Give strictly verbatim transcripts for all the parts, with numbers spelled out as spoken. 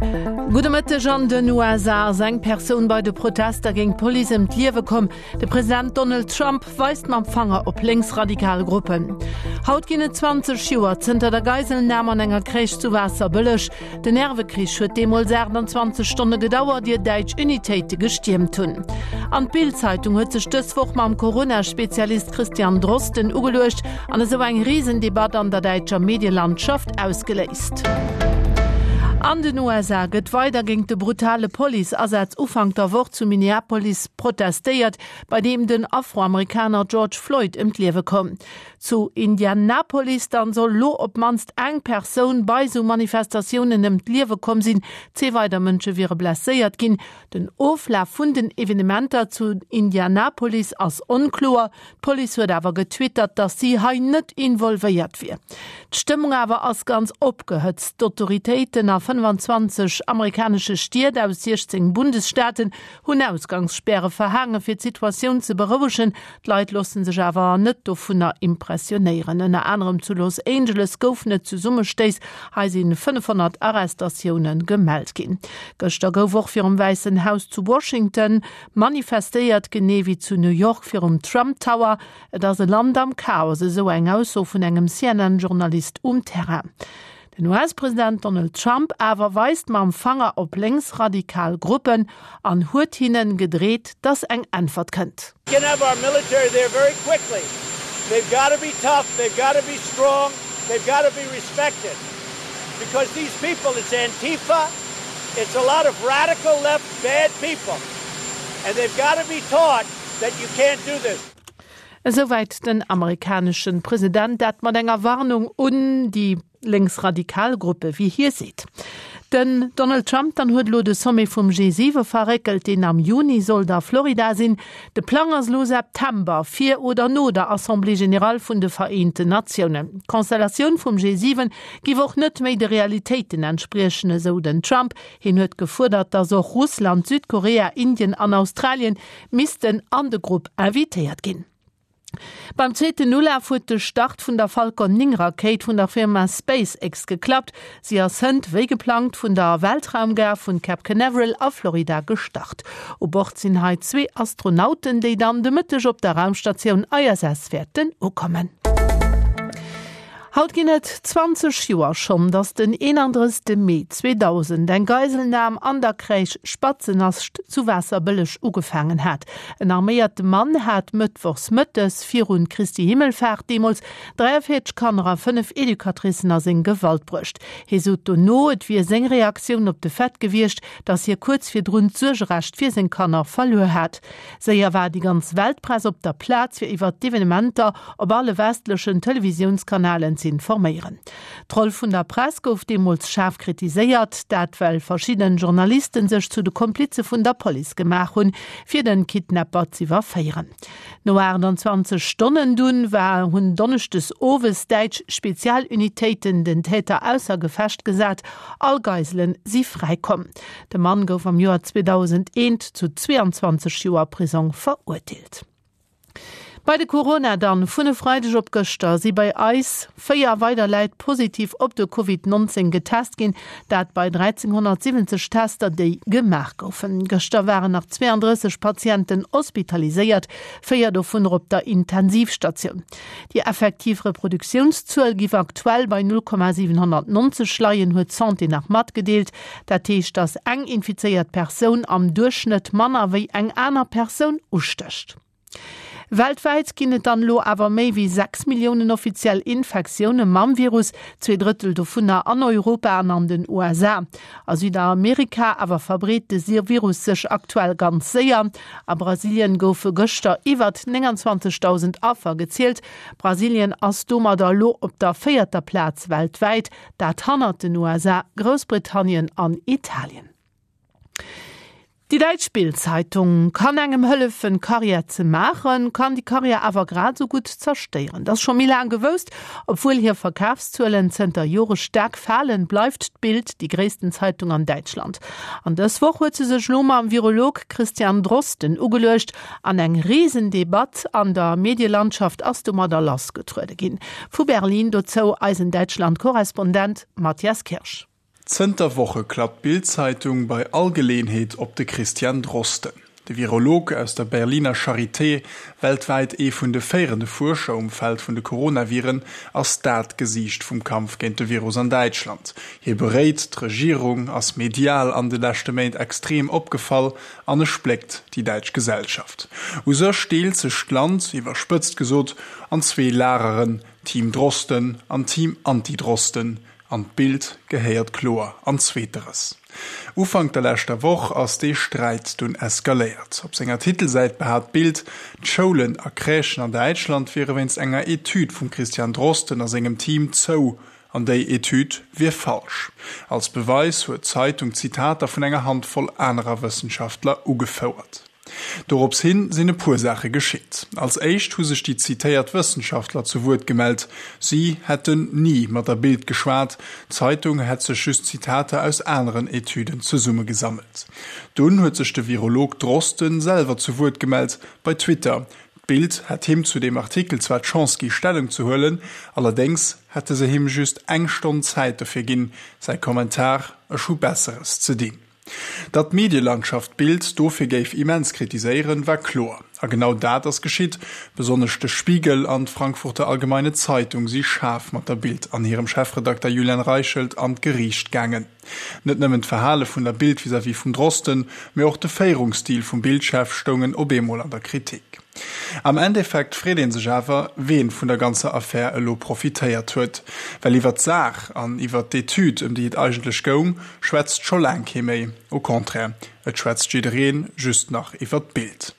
Gudde Mëtteg, An den U S A ass eng Persoun bei de Protester géint d'Police ëm d'Liewe komm. De President Donald Trump weist mam Fanger op lénksradikal Gruppen. Haut ginn et zwanzeg Joer zënter der Geiselnam an enger Crèche zu Waasserbëlleg. Den Nervekrich huet deemools aachtanzwanzeg Stonne gedauert, ier däitsch Unitéite gestiermt hunn. An d'Bild-Zeitung huet sech dës Woch mam Corona-Spezialist Christian Drosten ugeluecht an esou eng Risendebatt an der däitscher Medielandschaft ausgeléist. An den U S A gëtt weider géint de brutale Police-Asaz Ufank der Woch zu Minneapolis protestéiert, bei deem den Afroamerikaner George Floyd ëm d'Liewe koum. Zu Indianapolis dann soll lo op d'mannst eng Persoun bei sou Manifestatiounen ëm d'Liewe komm sinn, zwee weider Mënsche wiere blesséiert ginn. Den Oflaf vun den Evenementer zu Indianapolis ass onkloer, d'Police huet awer getwittert, datt si hei net involvéiert wier. D'Stëmmung awer ass ganz opgehëtzt. D'Autoritéiten a fënnefanzwanzeg amerikanesche Stied aus siechzéng Bundesstaaten hunn Ausgangsspäre verhaange fir d'Situatioun ze berouegen. D'Leit loosse sech awer net dovunner impressionéieren. Ënner anerem zu Los Angeles goufen et Zesummestéiss, hei si fënnefhonnert Arrestatioune gemellt ginn. Gëschter gouf och virum Wäissen Haus zu Washington manifestéiert, genee wéi zu New York virum Trump Tower. Et ass e Land am Chaos, esou eng Ausso vun engem C N N-Journalist um Terrain. Den U S-President Donald Trump awer weist mam Fanger op lénksradikal Gruppen an huet hinnen gedreet, dass eng Äntwert kënnt. Can have our military there very quickly. They've got to be tough, they've got to be strong, they've got to be respected. Because these people, it's Antifa, it's a lot of radical left bad people. And they've got to be taught that you can't do this. Esouwäit den amerikanesche President, dat mat enger Warnung un déi lénksradikal Gruppe, wéi hie seet. Den Donald Trump dann huet lo de Sommet vum G siwe verréckelt, deen am Juni sollt a Florida sinn. De Plang ass lo September, fir oder no der Assemblée générale vun de Vereenten Natiounen. D'Konstellatioun vum G siwen giff och net méi de Realitéiten entspriechen, esou den Trump. Hien huet gefuerdert, datt och Russland, Südkorea, Indien an Australien missten an de Grupp invitéiert ginn. Beim zweeten Ulaf huet de Start vun der Falcon néng Rakéit vun der Firma SpaceX geklappt. Si ass hënt wéi geplangt vun der Weltraumgare vun Cape Canaveral a Florida gestart. U Bord sinn hei zwee Astronauten, déi dann de Mëtteg op der Raumstatioun I S S wäerten ukommen. Haut ginn et zwanzeg Joer schonn, datt den eenandrëssegste Mee zweedausend eng Geiselnam an der Crèche Spatzennascht zu Waasserbëlleg ugefaangen hat. En arméierte Mann hat mëttwochs mëttes virun Christi Himmelfaart deemools dräiavéierzeg Kanner a fënnef Educatricen a seng Gewalt bruecht. Hie sot dono, et wier seng Reaktioun op de Fait gewiescht, datt hie kuerz virdrun d'Suergerecht fir seng Kanner verluer hat. Séier war déi ganz Weltpress op der Plaz, fir iwwer d'Evenementer op alle westlechen Televisiounskanalen ze informéieren. D'Roll vun der Press gouf deemools schaarf kritiséiert, dat well verschidden Journalisten sech zu de Komplize vun der Police gemaach hunn, fir den Kidnapper z'iwwerféieren. No aachtanzwanzeg Stonnen dunn war hunn donneschdes owes däitsch Spezialunitéiten den Täter ausser Gefecht gesat, all Geiselen si fräikomm. De Mann gouf am Joer zweedausendeent zu zweeanzwanzeg Joer Prisong verurteelt. Bei de Corona dann: Vun e Freideg op gëschter si bei eis véier weider Leit positiv op de Covid neunzéng getest ginn, dat bei dräizénhonnertsiwwenzeg Tester, déi gemaach goufen. Gëschter waren nach zweeandrësseg Patienten hospitaliséiert, véier dovunner op der Intensivstatioun. Déi effektiv Reproduktiounszuel giff aktuell bei null Komma siwenhonnertnonzeg leien, huet d'Santé nach matgedeelt. Dat heescht, datt eng infizéiert Persoun am Duerchschnëtt manner wéi eng aner Persoun ustécht. Weltwäit ginn et dann elo awer méi wéi sechs Milliounen offiziell Infektioune mam Virus, zwee Drëttel dovunner an Europa an an den U S A. A Südamerika awer verbreet de Virus sech aktuell ganz séier. A Brasilien goufe gëschter iwwer nénganzwanzegdausend Affer gezielt. Brasilien ass domadder elo op der véierter Plaz weltwäit, dat hannert den U S A, Groussbritannien an Italien. Déi däitsch Bild-Zeitung kann engem hëllefen, Karriär ze maachen, kann déi Karriär awer grad esou gutt zerstéieren. Dat ass scho méi laang gewousst. Obwuel hir Verkafszuelen zënter Jore staark falen, bleift d'Bild déi gréissten Zeitung an Däitschland. An dës Woch huet se sech lo mam Virolog Christian Drosten ugeluecht an eng Risendebatt an der Medielandschaft ass domadder lassgetruede ginn. Vu Berlin dozou eisen Däitschland-Korrespondent Matthias Kirsch. Zënter Woche klappt d'Bild-Zeitung bei all Geleeënheet op de Christian Drosten. De Virolog aus der Berliner Charité, weltwäit ee vun de féierende Fuerscher um Feld vun de Coronaviren, ass dat Gesiicht vum Kampf géint de Virus an Däitschland. Hie beréit d'Regierung, ass medial an de leschte Méint extrem opgefall an e spléckt déi däitsch Gesellschaft. U sech deelt sech d'Land, iwwerspëtzt gesot, an zwee Lageren, Team Drosten an Team Anti-Drosten. An d'Bild gehéiert kloer an zweeteres. Ufank der leschter Woch ass dee Sträit dunn eskaléiert. Op senger Titelsäit behaapt d'Bild, d'Schoulen a Crèchen an Däitschland wiere wéinst enger Etüd vum Christian Drosten a sengem Team zou, an déi Etüd wier falsch. Als Beweis huet d'Zeitung Zitater vun enger Handvoll anerer Wëssenschaftler ugefouert. Dorops hin sinn e puer Saache geschitt. Als éischt hu sech déi zitéiert Wëssenschaftler zu Wuert gemellt, si hätten ni mat der Bild geschwat, d'Zeitung hätt sech just Zitater aus aneren Etüden zesummegesammelt. Dunn huet sech de Virolog Drosten selwer zu Wuert gemellt, bei Twitter. D'Bild hätt him zu deem Artikel zwar d'Chance gi Stellung ze huelen, allerdéngs hätte se him just eng Stonn Zäit dofir ginn. Säi Kommentar, Ech hu Besseres ze dinn. Datt d'Medielandschaft d'Bild dofir géif immens kritiséieren, war kloer. A genau dat ass geschitt. Besonnesch de Spiegel an d'Frankfurter Allgemeine Zeitung si schaarf mat der Bild an hirem Chefredakter Julian Reichelt an d'Geriicht gaangen. Net nëmmen d'Verhale vun der Bild vis-à-vis vum Drosten, mee och de Féierungsstil vum Bild-Chef stoungen op eemol an der Kritik. Am Endeffekt freet ee sech awer, ween vun der ganzer Affär elo profitéiert huet. Well iwwer d'Saach an iwwer d'Etüd, ëm déi et eigentlech goung, schwätzt scho laang kee méi. Au contraire, et schwätzt jidderee just nach iwwer d'Bild.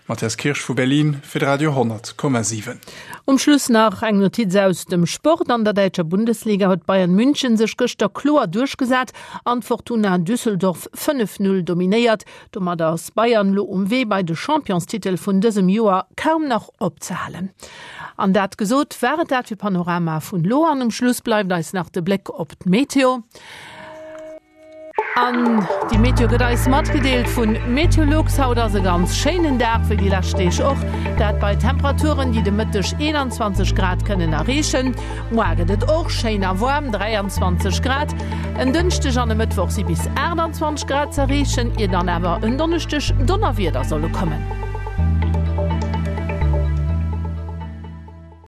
Matthias Kirsch vu Berlin fir de Radio honnert Komma siwen. Um Schluss nach eng Notiz aus dem Sport, An der däitscher Bundesliga huet Bayern München sech gëschter kloer duerchgesat an d'Fortuna Düsseldorf fënnef Null dominéiert. Domat ass Bayern lo um Wee bei de Championstitel vun dësem Joer kaum nach opzehalen. An dat gesot, war et dat fir Panorama vun lo an. Um Schluss bleift eis nach de Bléck op d'Meteo. An déi Meteo gëtt eis matgedeelt vun Meteolux. Haut ass e ganz schéinen Dag, wéi déi lescht Deeg och. Dat bei Temperaturen, déi de Mëtteg eenanzwanzeg Grad kënnen erreechen. Moar gëtt et och schéin a waarm, dräianzwanzeg Grad. En Dënschdeg an e Mëttwoch si bis aachtanzwanzeg Grad z'erreechen, ier dann awer en Donneschdeg Donnerwieder solle kommen.